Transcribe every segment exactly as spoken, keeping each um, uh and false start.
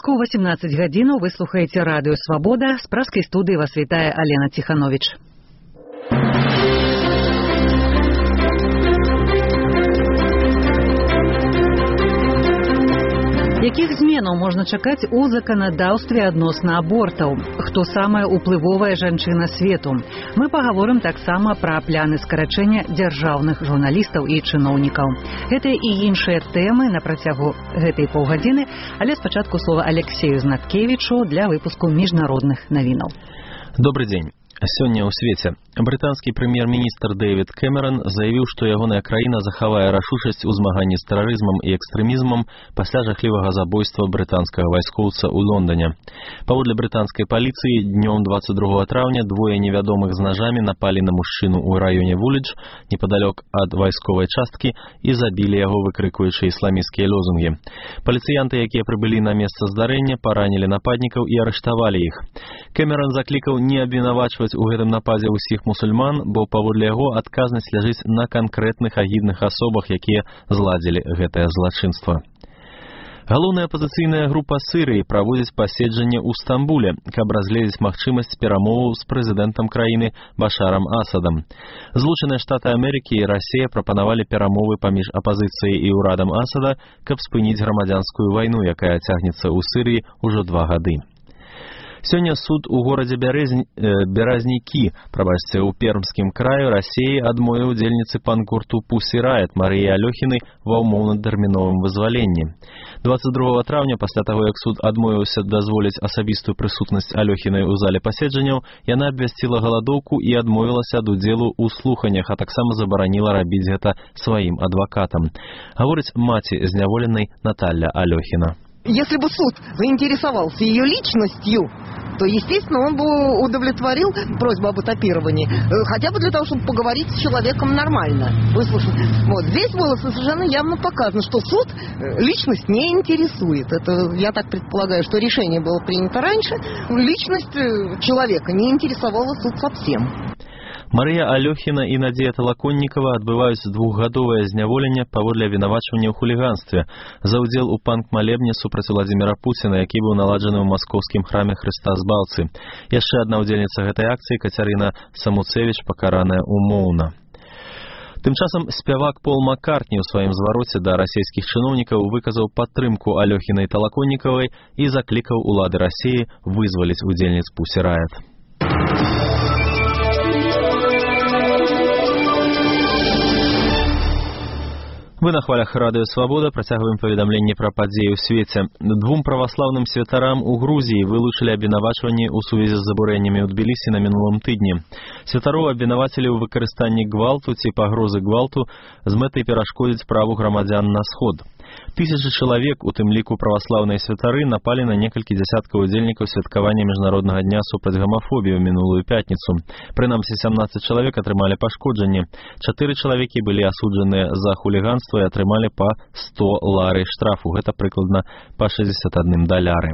У восемнадцать гадзінаў вы слухаеце радыё «Свабода». З праскай студыі вас вітае Алена Ціхановіч. Якіх зменаў можна чакаць у заканадаўстве адносна абортаў? Хто самая ўплывовая жанчына свету? Мы пагаворым таксама пра пляны скарачэння дзяржаўных журналістаў і чыноўнікаў. Гэтыя і іншыя тэмы на працягу гэтай паўгадзіны, але спачатку слова Алексею Знаткевічу для выпуску міжнародных навінаў. Добрый дзень. Сёння ў свеце брытанскі прэм'ер-міністр Дэвід Кэмерон заявіў, што ягоная краіна захавае рашучасць у змаганні з тэрарызмам і экстрэмізмам пасля жахлівага забойства брытанскага вайскоўца ў Лондоне. Паводле брытанскай паліцыі, днём двадцать другого траўня двое невядомых з нажамі напалі на мужчыну ў раёне Вулідж, непадалёк ад вайсковай часткі, і забілі яго, выкрыкуючы ісламісцкія лозунгі. Паліцыянты, якія прыбылі на месца здарэння, паранілі нападнікаў і арыштавалі іх. Кэмерон заклікаў не абвінавачваць у гэтым нападзе ўсіх мусульман, бо паводле яго адказнасць ляжыць на канкрэтных агідных асобах, якія зладзілі гэтае злачынства. Галоўная апазіцыйная група Сірыі праводзіць паседжанне ў Стамбуле, каб разгледзець магчымасць перамоваў з прэзідэнтам краіны Башарам Асадам. Злучаныя Штаты Амерыкі і Расія прапанавалі перамовы паміж апазіцыяй і ўрадам Асада, каб спыніць грамадзянскую вайну, якая цягнецца ў Сірыі ўжо два гады. Сёння суд у горадзе Бярэзні, э, Беразнікі, прабачце, у Пермскім краі Расіі адмовіў удзельніцы пан-гурту Pussy Riot Марыі Алёхінай ва ўмоўна-тэрміновым вызваленні. двадцать другого траўня, пасля таго, як суд адмовіўся дазволіць асабістую прысутнасць Алёхінай у зале паседжанняў, яна абвясціла галадоўку і адмовілася ад удзелу ў слуханнях, а таксама забараніла рабіць гэта сваім адвакатам. Гаворыць маці зняволенай Наталья Алёхіна. Если бы суд заинтересовался ее личностью, то, естественно, он бы удовлетворил просьбу об этапировании, хотя бы для того, чтобы поговорить с человеком нормально, выслушать. Вот. Здесь было совершенно явно показано, что суд личность не интересует. Это, я так предполагаю, что решение было принято раньше. Личность человека не интересовала суд совсем. Марыя Алёхіна і Надзея Талаконнікава адбываюць двухгадовае зняволенне паводле абвінавачвання ў хуліганстве за ўдзел у панк-малебне супраць Владзіміра Пуціна, які быў наладжаны ў маскоўскім храме Хрыста Збаўцы. Яшчэ адна ўдзельніца гэтай акцыі, Кацярына Самуцевіч, пакараная умоўна. Тым часам спявак Пол Маккартні ў сваім звароце да расійскіх чыноўнікаў выказаў падтрымку Алёхінай Талаконнікавай і заклікаў улады Расіі вызваліць удзельніц Pussy Riot. Вы на хвалях радыё «Свабода» працягваем паведамленне пра падзеі ў свеце. Двум праваслаўным святарам у Грузіі вылучылі абвінавачванні ў сувязі з забурэннямі ў Тбілісі на мінулым тыдні. Святароў абвінавацілі ў выкарыстанні гвалту ці пагрозы гвалту з мэтай перашкодзіць праву грамадзян на сход. Тысячы чалавек, у тым ліку праваслаўныя святары, напалі на некалькі дзясяткаў удзельнікаў святкавання міжнароднага дня супраць гамафобіі ў мінулую пятніцу. Прынамсі сямнаццаць чалавек атрымалі пашкоджанні. Чатыры чалавекі былі асуджаныя за хуліганства і атрымалі па сто ларый штрафу. Гэта прыкладна па шэсцьдзесят адна даляры.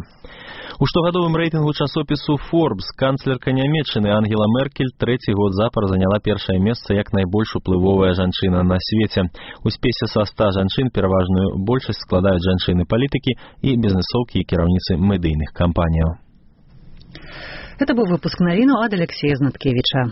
У штогадовым рэйтынгу часопісу Forbes канцлерка Нямецчыны Ангела Меркель трэці год запар заняла першае месца як найбольш уплывовая жанчына на свеце. У спісе са ста жанчын пераважную большасць складаюць жанчыны-палітыкі і бізнесоўкі і кіраўніцы медыйных кампаніяў. Это быў выпуск навіну ад Алексея Знаткевіча.